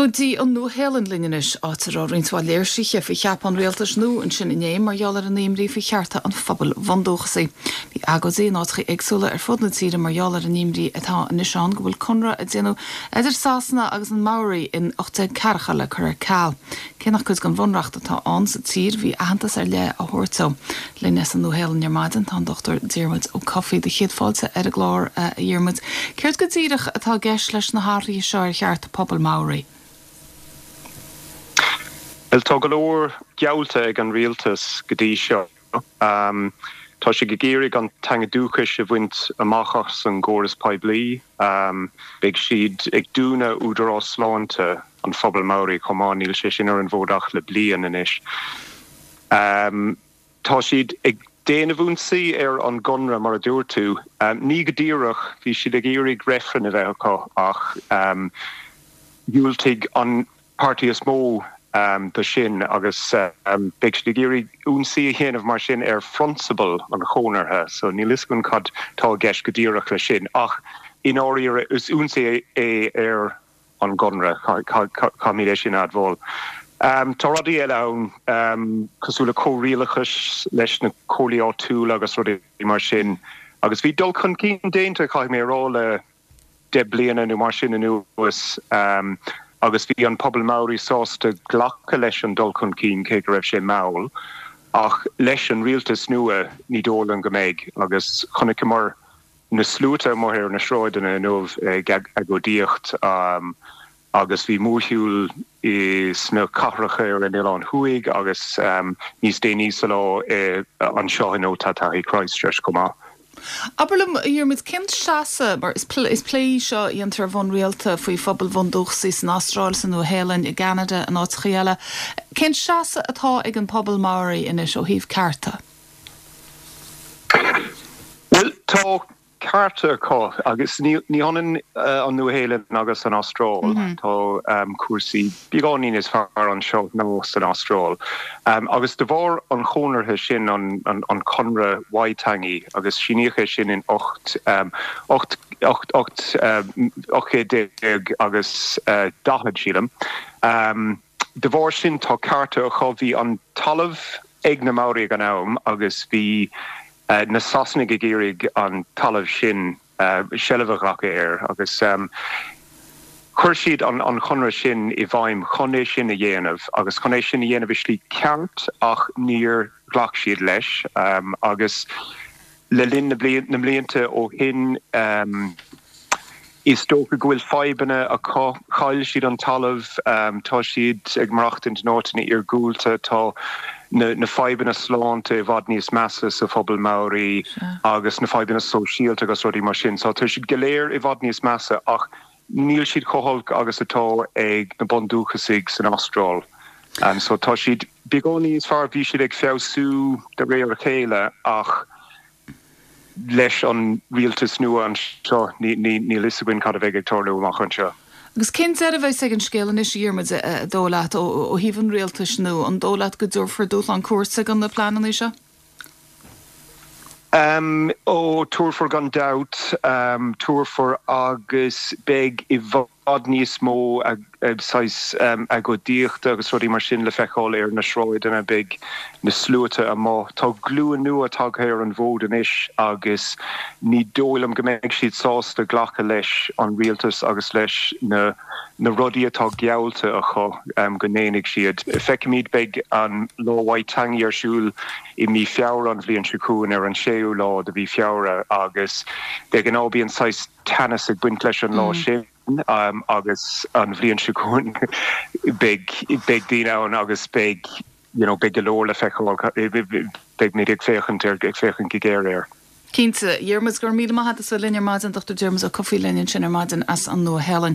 Go dtí an Nua-Shéalainn linn anois, áit a raibh roinnt mhaith léirsithe faoi cheapadh an rialtais nua ansin inné mar gheall ar an imní faoi chearta an phobail bhundúchasaigh. Bhí agóidí in áiteacha éagsúla ar fud na tíre mar gheall ar an imní atá anois ann go bhfuil conradh a déanadh idir Sasana agus an Maori in 1840 le cur ar ceal. Cé nach cuid den bhunreacht atá ann sa tír, bhí aitheantas ar leith á thabhairt dó. Linn as an Nua-Shéalainn ar maidin tá an Dr Diarmuid Ó Cofaigh. Do chéad fáilte ar an gclár, a Dhiarmuid. Céard go díreach atá i gceist leis na hathruithe seo ar chearta pobal Maori? Bhuel, tá go leor geallta ag an rialtas go dtí seo. Tá siad ag iarraidh an teanga dúchais a bhaint amach as an gcóras poiblí. Beidh siad ag dúnadh Údarás Sláinte an phobail Maori chomh maith, níl sé sin ar an bhfód ach le bliain anois. Tá siad ag déanamh ionsaí ar an gconradh, mar a dúirt tú. Ní go díreach, bhí siad ag iarraidh reifreann a bheith acu ach dhiúltaigh an páirtí is mó do sin agus beidh siad ag iarraidh ionsaí a dhéanamh mar sin ar phrionsabal an chonartha. So níl fhios againn cad tá i gceist go díreach leis sin ach i ndáiríre is ionsaí é ar an gconradh, caithfimid é sin a admháil. Tá rudaí eile ann, cosúil le comhrialachas leis na comhairlí áitiúla agus rudaí mar sin, agus bhí dul chun cinn déanta, caithfidh mé a rá, le 10 bliana nó mar sin anuas, agus bhí an pobal Maori sásta glacadh leis an dul chun cinn, cé go raibh sé mall. Ach leis an rialtas nua, ní dóigh liom go mbeidh, agus chonaiceamar na sluaite amuigh ar na sráideanna inniu ag agóidíocht agus bhí mórshiúl sna cathracha ar an Oileán Thuaidh agus níos déanaí sa lá anseo in Ōtautahi Christchurch chomh maith. Abair liom, a Dhiarmuid, cén seasamh, mar is plé í seo a dhéantar ar bhonn rialta faoi phobail bhundúchasaigh san Astráil, sa Nua-Shéalainn, i gCeanada, in áiteacha eile, cén seasamh atá ag an pobal Maori anois ó thaobh cearta? Bhuel, tá cearta acu agus ní hionann an Nua-Shéalainn agus an Astráil. Tá cúrsaí beagáinín níos fearr anseo ná san Astráil. Agus de bharr an chonartha sin, an Conradh Waitangi, agus síníodh é sin in 18 8 agus 40, sílim, de bharr sin tá cearta acu. Bhí an talamh ag na Maori ag an am agus bhí na Sasanaigh ag iarraidh an talamh sin, seilbh a ghlacadh air agus chuir siad an chonradh sin i bhfeidhm chun é sin a dhéanamh agus chun é sin a dhéanamh i slí ceart ach níor ghlac siad leis agus le linn na mblianta ó shin. Is dócha go bhfuil fadhbanna acu. Chaill siad an talamh, tá siad ag maireachtaint in áiteanna iargúlta, tá na fadhbanna sláinte i bhfad níos measa sa phobal Maori agus na fadhbanna sóisialta agus rudaí mar sin. So tá siad go léir i bhfad níos measa ach níl siad chomh holc agus atá ag na bundúchasaigh san Astráil. So tá siad beagán níos fearr, bhí siad ag feabhsú de réir a chéile ach leis an rialtas nua anseo, níl fhios againn cad a bheidh ag tarlú amach anseo. Agus cén deireadh a bheas ag an scéal anois, a Dhiarmuid, an dóigh leat, ó thaobh an rialtais nua? An dóigh leat go dtabharfar dúshlán cúirte do na pleananna seo? Ó, tabharfar gan dabht, tabharfar agus beidh i bhfad. bhfad níos mó saghas agóidíochta agus rudaí mar sin le feiceáil ar na sráideanna, beidh na sluaite amuigh. Tá glúin nua tagtha ar an bhfód anois agus ní dóigh liom go mbeidh siad sásta glacadh leis an rialtas agus leis na na rudaí atá geallta acu go ndéanfaidh siad. Feicfimid, beidh an Lá Waitangi ar siúl i mí Feabhra an bhliain seo chugainn, ar an séú lá de mhí Feabhra agus de ghnáth bíonn saghas teannas ag baint leis an lá sin agus an bhliain seo chugainn beidh beidh daoine ann agus beidh you know beidh go leor le feiceáil, beimid ag féachaint ar ag féachaint go géar air. Cinnte. Diarmuid, go raibh míle maith agat as bheith linn ar maidin, Dr Diarmuid Ó Cofaigh linn ansin ar maidin as an Nua-Shéalainn.